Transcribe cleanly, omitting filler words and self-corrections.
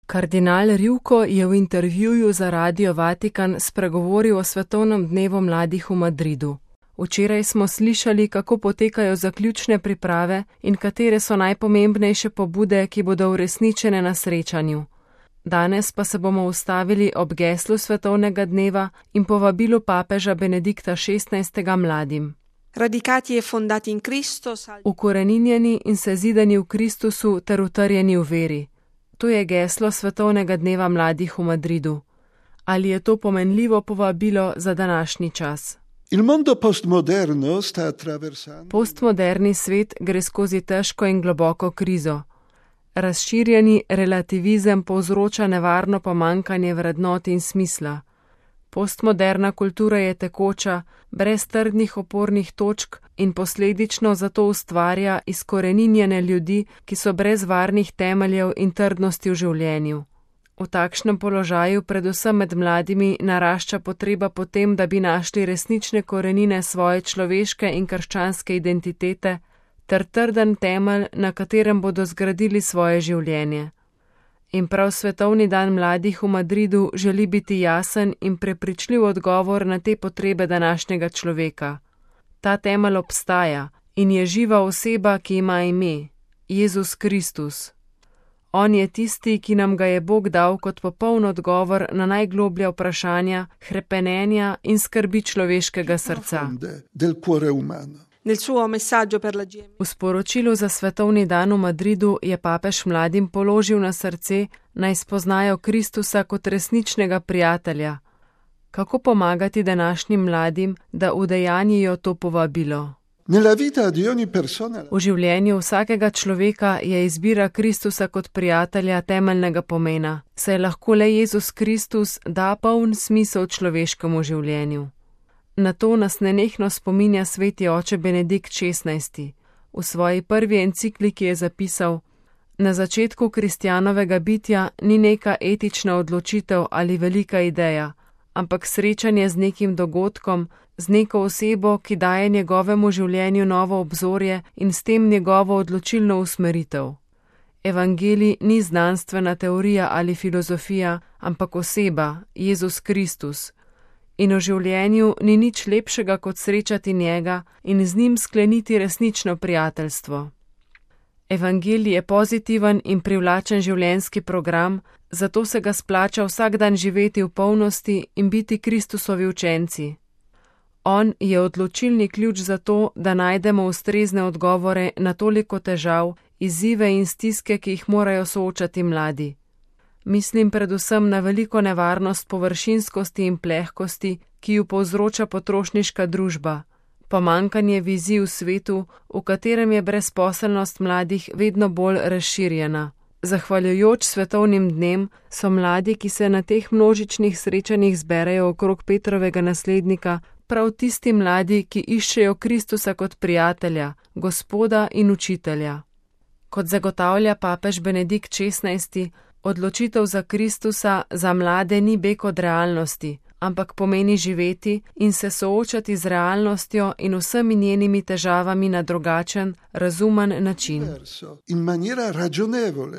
Kardinal Rivko je v intervjuju za Radio Vatikan spregovoril o Svetovnem dnevu mladih v Madridu. Včeraj smo slišali, kako potekajo zaključne priprave in katere so najpomembnejše pobude, ki bodo uresničene na srečanju. Danes pa se bomo ustavili ob geslu Svetovnega dneva in povabilu papeža Benedikta XVI. Mladim. Ukoreninjeni in sezidani v Kristusu ter utrjeni v veri. To je geslo Svetovnega dneva mladih v Madridu. Ali je to pomenljivo povabilo za današnji čas? Postmoderni svet gre skozi težko in globoko krizo. Razširjeni relativizem povzroča nevarno pomanjkanje vrednot in smisla. Postmoderna kultura je tekoča, brez trdnih opornih točk in posledično zato ustvarja izkoreninjene ljudi, ki so brez varnih temeljev in trdnosti v življenju. V takšnem položaju, predvsem med mladimi, narašča potreba po tem, da bi našli resnične korenine svoje človeške in krščanske identitete ter trden temelj, na katerem bodo zgradili svoje življenje. In prav Svetovni dan mladih v Madridu želi biti jasen in prepričljiv odgovor na te potrebe današnjega človeka. Ta temelj obstaja in je živa oseba, ki ima ime, Jezus Kristus. On je tisti, ki nam ga je Bog dal kot popoln odgovor na najgloblja vprašanja, hrepenenja in skrbi človeškega srca. V sporočilu za Svetovni dan v Madridu je papež mladim položil na srce, naj spoznajo Kristusa kot resničnega prijatelja. Kako pomagati današnjim mladim, da udejanjijo to povabilo? V življenju vsakega človeka je izbira Kristusa kot prijatelja temeljnega pomena, saj lahko le Jezus Kristus da poln smisel človeškemu življenju. Na to nas nenehno spominja sveti oče Benedikt XVI. V svoji prvi encikliki je zapisal: Na začetku kristjanovega bitja ni neka etična odločitev ali velika ideja, ampak srečanje z nekim dogodkom, z neko osebo, ki daje njegovemu življenju novo obzorje in s tem njegovo odločilno usmeritev. Evangelij ni znanstvena teorija ali filozofija, ampak oseba, Jezus Kristus. In v življenju ni nič lepšega, kot srečati njega in z njim skleniti resnično prijateljstvo. Evangelij je pozitiven in privlačen življenjski program, zato se ga splača vsak dan živeti v polnosti in biti Kristusovi učenci. On je odločilni ključ za to, da najdemo ustrezne odgovore na toliko težav, izzive in stiske, ki jih morajo soočati mladi. Mislim predvsem na veliko nevarnost površinskosti in plehkosti, ki ju povzroča potrošniška družba, pomanjkanje vizij v svetu, v katerem je brezposelnost mladih vedno bolj razširjena. Zahvaljujoč svetovnim dnem so mladi, ki se na teh množičnih srečanjih zberejo okrog Petrovega naslednika, prav tisti mladi, ki iščejo Kristusa kot prijatelja, Gospoda in učitelja. Kot zagotavlja papež Benedikt XVI, odločitev za Kristusa za mlade ni beg od realnosti, ampak pomeni živeti in se soočati z realnostjo in vsemi njenimi težavami na drugačen, razumen način.